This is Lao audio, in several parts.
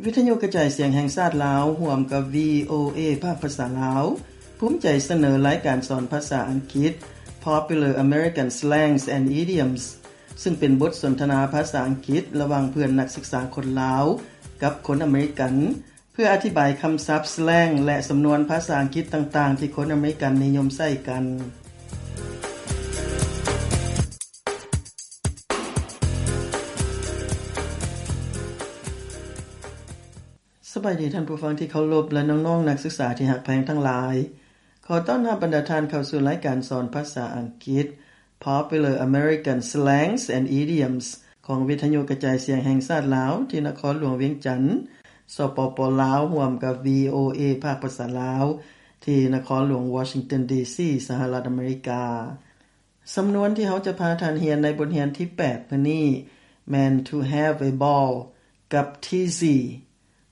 ວິທະຍຸກະຈາຍສຽງແຫ່ງຊາດລາວ ຮ່ວມກັບ ວີໂອເອ ພາກພາສາລາວ ພູມໃຈສະເໜີລາຍການສອນພາສາອັງກິດ Popular American Slangs and Idioms ຊຶ່ງເປັນບົດສົນທະນາພາສາອັງກິດລະຫວ່າງເພື່ອນນັກສຶກສາຄົນລາວກັບຄົນອາເມລິກັນ ເພື່ອອະທິບາຍຄຳສັບ, ສແລງ ແລະ ສຳນວນພາສາອັງກິດຕ່າງໆ ທີ່ຄົນອາເມລິກັນນິຍົມໃຊ້ກັນ. ສະບາຍດີທ່ານຜູ້ຟັງທີ່ເຄົາລົບ ແລະ ນ້ອງໆນັກສຶກສາທີ່ຮັກແພງທັງຫຼາຍ. ຂໍຕ້ອນຮັບບັນດາທ່ານເຂົ້າສູ່ລາຍການສອນພາສາອັງກິດ Popular American Slangs and Idioms ຂອງວິທະຍຸກະຈາຍສຽງແຫ່ງຊາດລາວ ທີ່ນະຄອນຫຼວງວຽງຈັນ, ສປປ ລາວ, ຮ່ວມກັບ ວີໂອເອ ພາກພາສາລາວ ທີ່ນະຄອນຫຼວງວໍຊິງຕັນ ດີຊີ ສະຫະລັດອາເມລິກາ. ສຳນວນທີ່ເຮົາຈະພາທ່ານຮຽນໃນບົດຮຽນທີແປດມື້ນີ້ແມ່ນ to have a ball ກັບ teasy.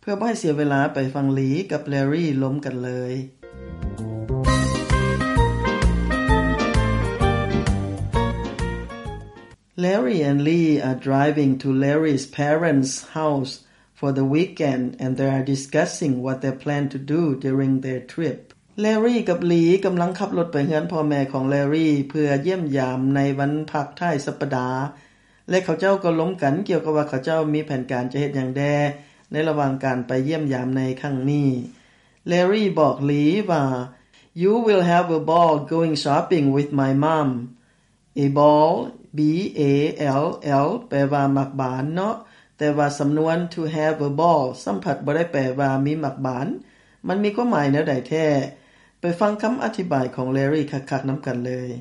ເພື່ອບໍ່ໃຫ້ເສຍເວລາ ໄປຟັງລີກັບແລຣີລົມກັນເລີຍ. Larry and Lee are driving to Larry's parents' house for the weekend and they are discussing what they plan to do during their trip. ແລຣີກັບລີກຳລັງຂັບລົດໄປເຮືອນພໍ່ແມ່ຂອງແລຣີ ເພື່ອຢ້ຽມຢາມໃນວັນພັກທ້າຍສັບປະດາ ແລະ ເຂົາເຈົ້າກໍລົມກັນກ່ຽວກັບວ່າເຂົາເຈົ້າມີແຜນການຈະເຮັດຫຍັງແດ່ໃນລະຫວ່າງການໄປຢ້ຽມຢາມໃນຄັ້ງນີ້. ແລຣີບອກລີວ່າ You will have a ball going shopping with my mom. A ball, B A L L ແປວ່າໝາກບານເນາະ, ແຕ່ວ່າສຳນວນ to have a ball ຊ້ຳພັດບໍ່ໄດ້ແປວ່າມີໝາກບານ. ມັນມີຄວາມໝາຍແນວໃດແທ້? ໄປຟັງຄຳອະທິບາຍຂອງແລຣີຄັກໆນຳກັນເລີຍ.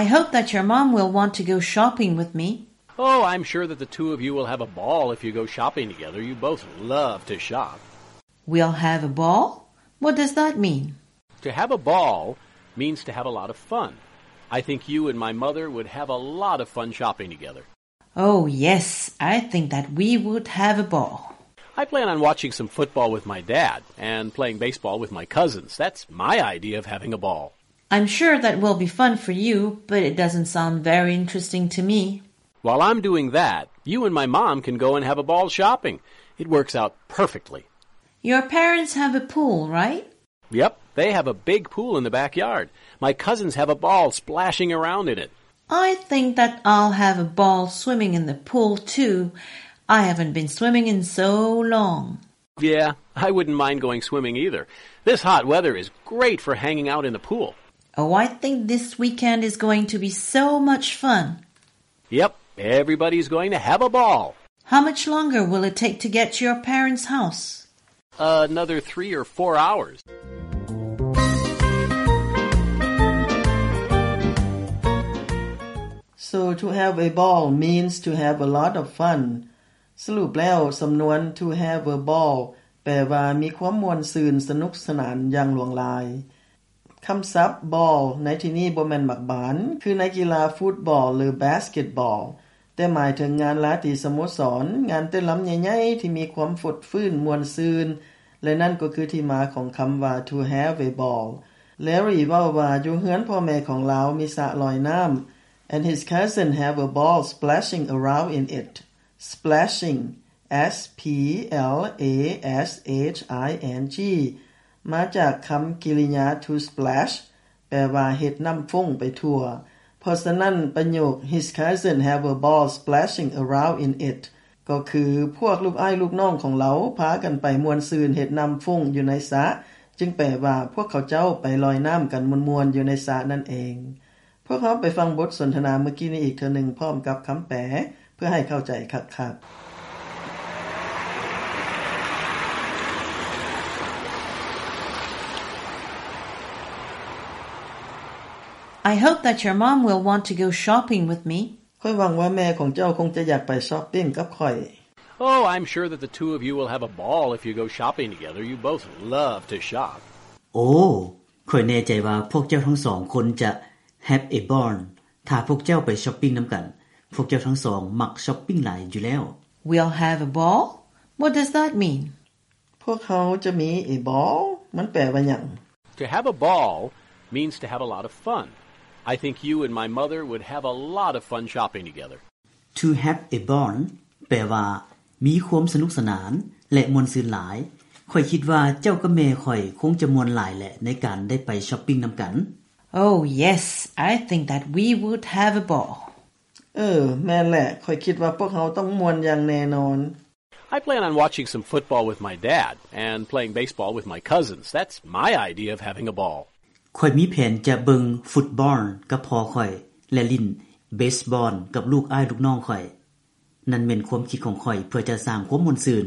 I hope that your mom will want to go shopping with me. Oh, I'm sure that the two of you will have a ball if you go shopping together. You both love to shop. We'll have a ball? What does that mean? To have a ball means to have a lot of fun. I think you and my mother would have a lot of fun shopping together. Oh, yes, I think that we would have a ball. I plan on watching some football with my dad and playing baseball with my cousins. That's my idea of having a ball. I'm sure that will be fun for you, but it doesn't sound very interesting to me. While I'm doing that, you and my mom can go and have a ball shopping. It works out perfectly. Your parents have a pool, right? Yep, they have a big pool in the backyard. My cousins have a ball splashing around in it. I think that I'll have a ball swimming in the pool too. I haven't been swimming in so long. Yeah, I wouldn't mind going swimming either. This hot weather is great for hanging out in the pool. Oh, I think this weekend is going to be so much fun. Yep, everybody's going to have a ball. How much longer will it take to get to your parents' house? Another three or four hours. So, to have a ball means to have a lot of fun. ສະຫຼຸບແລ້ວ, ສຳນວນ to have a ball ແປວ່າມີຄວາມມ່ວນຊື່ນ, ສະໜຸກສະໜານຢ່າງຫຼວງຫຼາຍ. ຄຳສັບ ball ໃນທີ່ນີ້ບໍ່ແມ່ນໝາກບານ ຄືໃນກິລາຟຸດບອລ ຫຼື ບາສເກັດບອລ, ແຕ່ໝາຍເຖິງງານລາຕີສະໂມສອນ, ງານເຕັ້ນລຳໃຫຍ່ໆ ທີ່ມີຄວາມຟົດຟື້ນມ່ວນຊື່ນ ແລະ ນັ້ນກໍຄືທີ່ມາຂອງຄຳວ່າ to have a ball. ແລຣີເວົ້າວ່າ ຢູ່ເຮືອນພໍ່ແມ່ຂອງລາວມີສະລອຍນ້ຳ and his cousin have a ball splashing around in it. Splashing, S P L A S H I N G ມາຈາກຄຳກິລິຍາ to splash ແປວ່າເຮັດນ້ຳຟຸ້ງໄປທົ່ວ. ເພາະສະນັ້ນ, ປະໂຫຍກ His cousin have a ball splashing around in it ກໍຄື ພວກລູກອ້າຍລູກນ້ອງຂອງລາວພາກັນໄປມ່ວນຊື່ນເຮັດນ້ຳຟຸ້ງຢູ່ໃນສະ, ຈຶ່ງແປວ່າ ພວກເຂົາເຈົ້າໄປລອຍນ້ຳກັນມ່ວນໆຢູ່ໃນສະນັ້ນເອງ. ພວກເຮົາໄປຟັງບົດສົນທະນາເມື່ອກີ້ນີ້ອີກເທື່ອໜຶ່ງ ພ້ອມກັບຄຳແປ ເພື່ອໃຫ້ເຂົ້າໃຈຄັກໆ. I hope that your mom will want to go shopping with me. ຂ້ອຍຫວັງວ່າແມ່ຂອງເຈົ້າຄົງຈະຢາກໄປຊັອບປິງກັບຂ້ອຍ. Oh, I'm sure that the two of you will have a ball if you go shopping together. You both love to shop. ໂອ້ ຂ້ອຍແນ່ໃຈວ່າພວກເຈົ້າທັງສອງຄົນຈະ have a ball ຖ້າພວກເຈົ້າໄປຊັອບປິງນຳກັນ. ພວກເຈົ້າທັງສອງມັກຊັອບປິງຫຼາຍຢູ່ແລ້ວ. We'll have a ball? What does that mean? ພວກເຮົາຈະມີ a ball? ມັນແປວ່າຫຍັງ? To have a ball means to have a lot of fun. I think you and my mother would have a lot of fun shopping together. To have a ball ແປວ່າ ມີຄວາມສະໜຸກສະໜານ ແລະ ມ່ວນຊື່ນຫຼາຍ. ຂ້ອຍຄິດວ່າເຈົ້າກັບແມ່ຂ້ອຍຄົງຈະມ່ວນຫຼາຍແຫຼະ ໃນການໄດ້ໄປຊັອບປິງນຳກັນ. Oh, yes, I think that we would have a ball. ເອີ, ແມ່ນແຫຼະ, ຂ້ອຍຄິດວ່າພວກເຮົາຕ້ອງມ່ວນຢ່າງແນ່ນອນ. I plan on watching some football with my dad and playing baseball with my cousins. That's my idea of having a ball. ຂ້ອຍມີແຜນຈະເບິ່ງຟຸດບອນກັບພໍ່ຂ້ອຍ ແລະ ຫຼິ້ນເບສບອນກັບລູກອ້າຍລູກນ້ອງຂ້ອຍ. ນັ້ນແມ່ນຄວາມຄິດຂອງຂ້ອຍເພື່ອຈະສ້າງຄວາມມ່ວນຊື່ນ.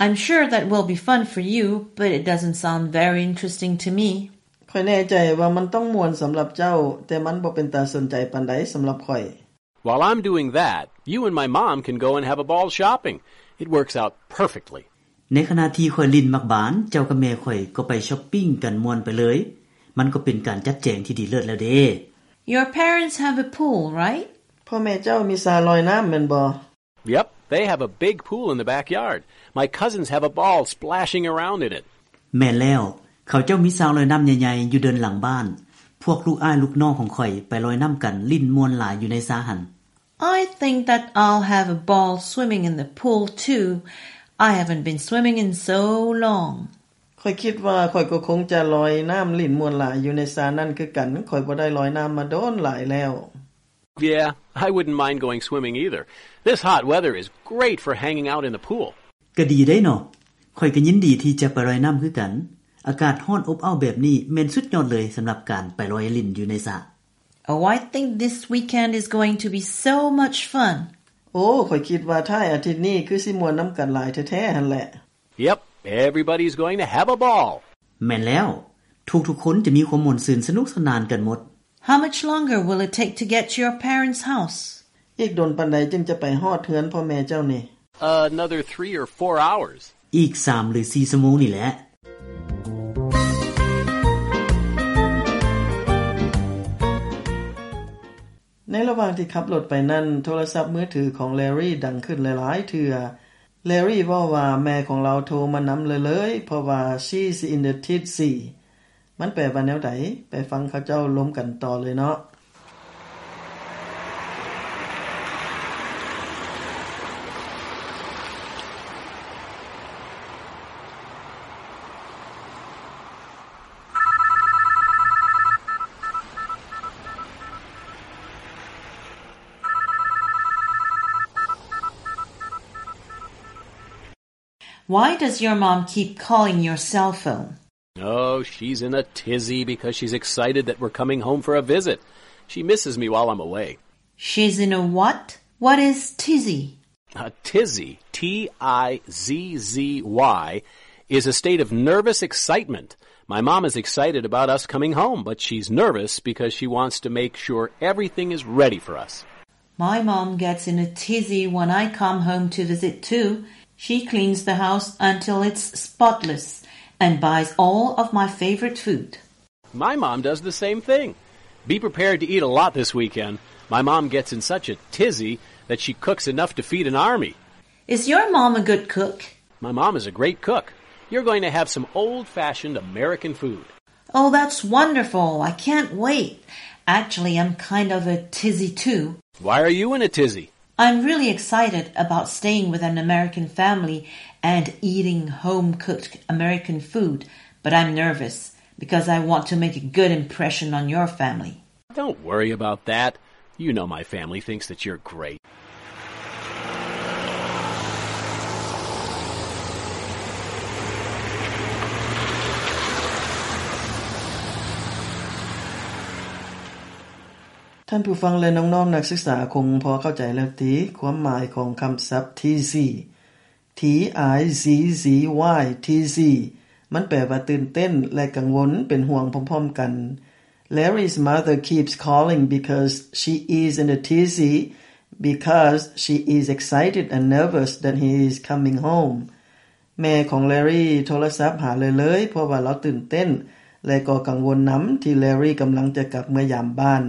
I'm sure that will be fun for you, but it doesn't sound very interesting to me. ຂ້ອຍແນ່ໃຈວ່າມັນຕ້ອງມ່ວນສຳລັບເຈົ້າ, ແຕ່ມັນບໍ່ເປັນຕາສົນໃຈປານໃດສຳລັບຂ້ອຍ. While I'm doing that, you and my mom can go and have a ball shopping. It works out perfectly. ໃນຂະນະທີ່ຂ້ອຍຫຼິ້ນໝາກບານ, ເຈົ້າກັບແມ່ຂ້ອຍກໍໄປຊັອບປິງກັນມ່ວນໄປເລີຍ. ມັນກໍເປັນການຈັດແຈງທີ່ດີເລີດແລ້ວເດ້. Your parents have a pool, right? ພໍ່ແມ່ເຈົ້າມີສະລອຍນ້ຳແມ່ນບໍ່? Yep, they have a big pool in the backyard. My cousins have a ball splashing around in it. ແມ່ນແລ້ວ, ເຂົາເຈົ້າມີສະລອຍນ້ຳໃຫຍ່ໆຢູ່ເດີ່ນຫຼັງບ້ານ. ພວກລູກອ້າຍລູກນ້ອງຂອງຂ້ອຍໄປລອຍນ້ຳກັນ, ຫຼິ້ນມ່ວນຫຼາຍຢູ່ໃນສະຫັ້ນ. I think that I'll have a ball swimming in the pool too. I haven't been swimming in so long. ຂ້ອຍຄິດວ່າຂ້ອຍກໍຄົງຈະລອຍນ້ຳຫຼິ້ນມ່ວນຫຼາຍຢູ່ໃນສະນັ້ນຄືກັນ. ຂ້ອຍບໍ່ໄດ້ລອຍນ້ຳມາດົນຫຼາຍແລ້ວ. Yeah, I wouldn't mind going swimming either. This hot weather is great for hanging out in the pool. ກະດີເດ້ເນາະ. ຂ້ອຍກະຍິນດີທີ່ຈະໄປລອຍນ້ຳຄືກັນ. ອາກາດຮ້ອນອົບເອົ້າແບບນີ້ແມ່ນສຸດຍອດເລີຍສຳລັບການໄປລອຍຫຼິ້ນຢູ່ໃນສະ. Oh, I think this weekend is going to be so much fun. ໂອ້, ຂ້ອຍຄິດວ່າທ້າຍອາທິດນີ້ຄືຊິມ່ວນນຳກັນຫຼາຍແທ້ໆຫັ້ນແຫຼະ. Yep, everybody's going to have a ball. ແມ່ນແລ້ວ, ທຸກໆຄົນຈະມີຄວາມມ່ວນຊື່ນສະໜຸກສະໜານກັນໝົດ. How much longer will it take to get to your parents' house? ອີກດົນປານໃດຈຶ່ງຈະໄປຮອດເຮືອນພໍ່ແມ່ເຈົ້ານີ້? Another three or four hours. ອີກສາມຫຼືສີ່ຊົ່ວໂມງນີ້ແຫຼະ. ໃນລະຫວ່າງທີ່ຂັບລົດໄປນັ້ນ, ໂທລະສັບມືຖືຂອງແລຣີດັງຂຶ້ນຫຼາຍໆເທື່ອ. ແລຣີເວົ້າວ່າແມ່ຂອງລາວໂທມານຳເລີຍໆ ເພາະວ່າ She's in a tizzy. ມັນແປວ່າແນວໃດ? ໄປຟັງເຂົາເຈົ້າລົມກັນຕໍ່ເລີຍເນາະ. Why does your mom keep calling your cell phone? Oh, she's in a tizzy because she's excited that we're coming home for a visit. She misses me while I'm away. She's in a what? What is tizzy? A tizzy, T I Z Z Y, is a state of nervous excitement. My mom is excited about us coming home, but she's nervous because she wants to make sure everything is ready for us. My mom gets in a tizzy when I come home to visit too. She cleans the house until it's spotless and buys all of my favorite food. My mom does the same thing. Be prepared to eat a lot this weekend. My mom gets in such a tizzy that she cooks enough to feed an army. Is your mom a good cook? My mom is a great cook. You're going to have some old-fashioned American food. Oh, that's wonderful. I can't wait. Actually, I'm kind of a tizzy too. Why are you in a tizzy? I'm really excited about staying with an American family and eating home-cooked American food, but I'm nervous because I want to make a good impression on your family. Don't worry about that. You know my family thinks that you're great. ທ່ານຜູ້ຟັງ ແລະ ນ້ອງໆນັກສຶກສາຄົງພໍເຂົ້າໃຈແລ້ວຕິ ຄວາມໝາຍຂອງຄຳສັບ tizzy. T I Z Z Y, tizzy. ມັນແປວ່າຕື່ນເຕັ້ນ ແລະ ກັງວົນ ເປັນຫ່ວງພ້ອມໆກັນ. Larry's mother keeps calling because she is in a tizzy, because she is excited and nervous that he is coming home. ແມ່ຂອງແລຣີໂທລະສັບຫາເລື້ອຍໆ ເພາະວ່າລາວຕື່ນເຕັ້ນ ແລະ ກໍກັງວົນນຳທີ່ແລຣີກຳລັງຈະກັບເມືອຍາມບ້ານ.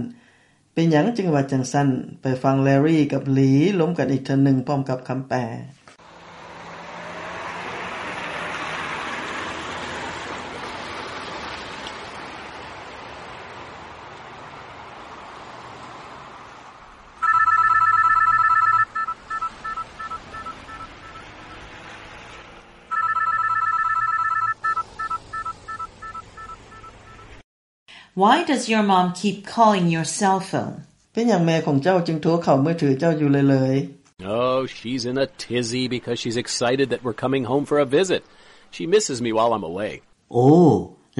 ເປັນຫຍັງຈຶ່ງວ່າຈັ່ງຊັ້ນ? ໄປຟັງແລຣີກັບລີລົມກັນອີກເທື່ອໜຶ່ງ ພ້ອມກັບຄຳແປ. Why does your mom keep calling your cell phone? ເປັນຫຍັງແມ່ຂອງເຈົ້າຈຶ່ງໂທເຂົ້າມືຖືເຈົ້າຢູ່ເລື້ອຍໆ? Oh, she's in a tizzy because she's excited that we're coming home for a visit. She misses me while I'm away. ໂອ້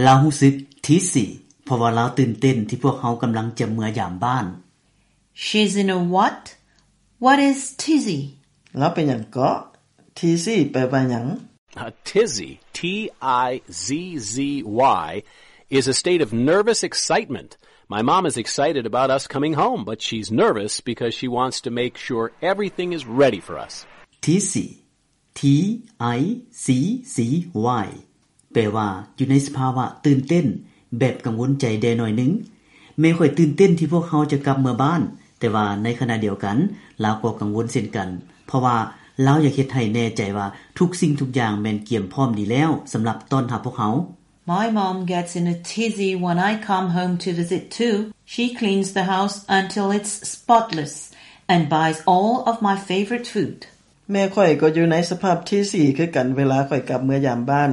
ລາວຮູ້ສຶກທິດສີ ເພາະວ່າລາວຕື່ນເຕັ້ນທີ່ພວກເຮົາກຳລັງຈະເມືອຢາມບ້ານ. She's in a what? What is tizzy? ລາວເປັນຫຍັງເກາະ? ທິດສີແປວ່າຫຍັງ? A tizzy, T I Z Z Y, is a state of nervous excitement. My mom is excited about us coming home, but she's nervous because she wants to make sure everything is ready for us. ທິດສີ T I Z Z Y ແປວ່າ ຢູ່ໃນສະພາວະຕື່ນເຕັ້ນ ແບບກັງວົນໃຈແດ່ໜ້ອຍໜຶ່ງ. ແມ່ຂ້ອຍຕື່ນເຕັ້ນທີ່ພວກເຮົາຈະກັບເມືອບ້ານ, ແຕ່ວ່າໃນຂະນະດຽວກັນ ລາວກໍກັງວົນເຊັ່ນກັນ, ເພາະວ່າລາວຢາກເຮັດໃຫ້ແນ່ໃຈວ່າທຸກສິ່ງທຸກຢ່າງແມ່ນກຽມພ້ອມດີແລ້ວສຳລັບຕ້ອນຮັບພວກເຮົາ. My mom gets in a tizzy when I come home to visit too. She cleans the house until it's spotless and buys all of my favorite food. ແມ່ຂ້ອຍກໍຢູ່ໃນສະພາບທິດສີຄືກັນ ເວລາຂ້ອຍກັບເມືອຢາມບ້ານ.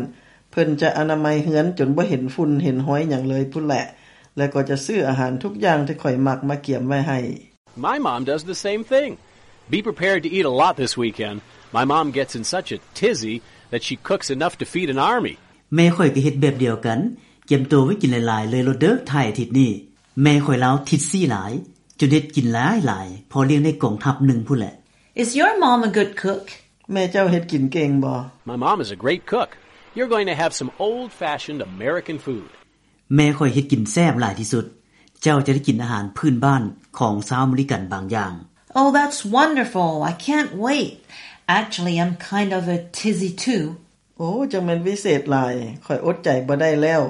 ເພິ່ນຈະອະນາໄມເຮືອນຈົນບໍ່ເຫັນຝຸ່ນເຫັນຮອຍຫຍັງເລີຍພຸ້ນແຫຼະ ແລະ ກໍຈະຊື້ອາຫານທຸກຢ່າງທີ່ຂ້ອຍມັກມາກຽມໄວ້ໃຫ້. My mom does the same thing. Be prepared to eat a lot this weekend. My mom gets in such a tizzy that she cooks enough to feed an army. ແມ່ຂ້ອຍກໍເຮັດແບບດຽວກັນ, ກຽມໂຕໄວ້ກິນຫຼາຍໆເລີຍໂລດເດີ ທ້າຍອາທິດນີ້. ແມ່ຂ້ອຍລາວທິດສີຫຼາຍ ຈົນເຮັດກິນຫຼາຍໆ ພໍລ້ຽງໄດ້ກອງທັບໜຶ່ງພຸ້ນແຫຼະ. Is your mom a good cook? ແມ່ເຈົ້າເຮັດກິນເກັ່ງບໍ່? My mom is a great cook. You're going to have some old-fashioned American food. ແມ່ຂ້ອຍເຮັດກິນແຊບຫຼາຍທີ່ສຸດ. ເຈົ້າຈະໄດ້ກິນອາຫານພື້ນບ້ານຂອງຊາວອາເມລິກັນບາງຢ່າງ. Oh, that's wonderful. I can't wait. Actually, I'm kind of a tizzy too. ໂອ້ ຈັ່ງແມ່ນວິເສດຫຼາຍ. ຂ້ອຍອົດໃຈບໍ່ໄດ້ແລ້ວ.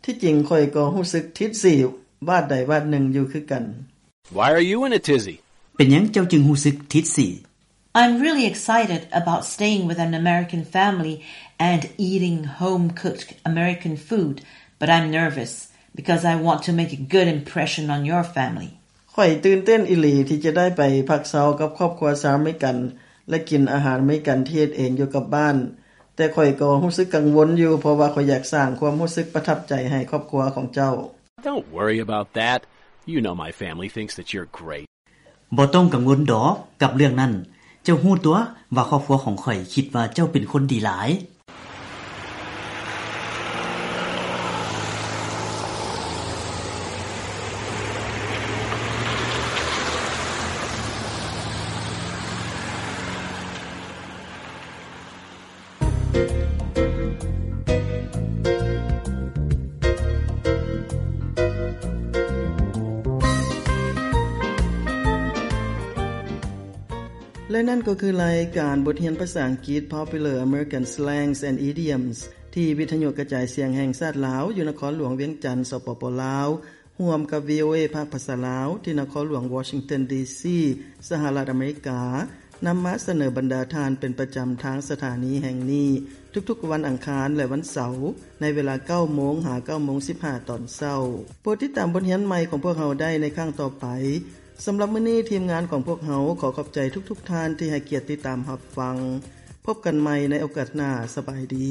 ທີ່ຈິງຂ້ອຍກໍຮູ້ສຶກທິດສີວາດໃດວາດໜຶ່ງຢູ່ຄືກັນ. Why are you in a tizzy? ເປັນຫຍັງເຈົ້າຈຶ່ງຮູ້ສຶກທິດສີ? I'm really excited about staying with an American family and eating home-cooked American food, but I'm nervous because I want to make a good impression on your family. ຂ້ອຍຕື່ນເຕັ້ນອີ່ຫຼີທີ່ຈະໄດ້ໄປພັກເຊົາກັບຄອບຄົວຊາວອາເມລິກັນ ແລະ ກິນອາຫານອາເມລິກັນທີ່ເຮັດເອງຢູ່ກັບບ້ານ, ແຕ່ຂ້ອຍກໍຮູ້ສຶກກັງວົນຢູ່ ເພາະວ່າຂ້ອຍຢາກສ້າງຄວາມຮູ້ສຶກປະທັບໃຈໃຫ້ຄອບຄົວຂອງເຈົ້າ. Don't worry about that. You know my family thinks that you're great. ບໍ່ຕ້ອງກັງວົນດອກກັບເລື່ອງນັ້ນ. ເຈົ້າຮູ້ຕົວະວ່າຄອບຄົວຂອງຂ້ອຍຄິດວ່າເຈົ້າເປັນຄົນດີຫຼາຍ. ແລະນັ້ນກໍຄືລາຍການບົດຮຽນພາສາອັງກິດ Popular American Slangs and Idioms ທີ່ວິທະຍຸກະຈາຍສຽງແຫ່ງຊາດລາວ ຢູ່ນະຄອນຫຼວງວຽງຈັນ ສປປ ລາວ ຮ່ວມກັບ VOA ພາກພາສາລາວ ທີ່ນະຄອນຫຼວງ Washington D C ສະຫະລັດອາເມລິກາ ນຳມາສະເໜີບັນດາທ່ານເປັນປະຈຳທາງສະຖານີແຫ່ງນີ້ ທຸກໆວັນອັງຄານ ແລະ ວັນເສົາ ໃນເວລາເກົ້າໂມງຫາເກົ້າໂມງສິບຫ້າຕອນເຊົ້າ. ໂປດຕິດຕາມບົດຮຽນໃໝ່ຂອງພວກເຮົາໄດ້ໃນຄັ້ງຕໍ່ໄປ. ສຳລັບມື້ນີ້ ທີມງານຂອງພວກເຮົາຂໍຂອບໃຈທຸກໆທ່ານທີ່ໃຫ້ກຽດຕິດຕາມຮັບຟັງ. ພົບກັນໃໝ່ໃນໂອກາດໜ້າ. ສະບາຍດີ.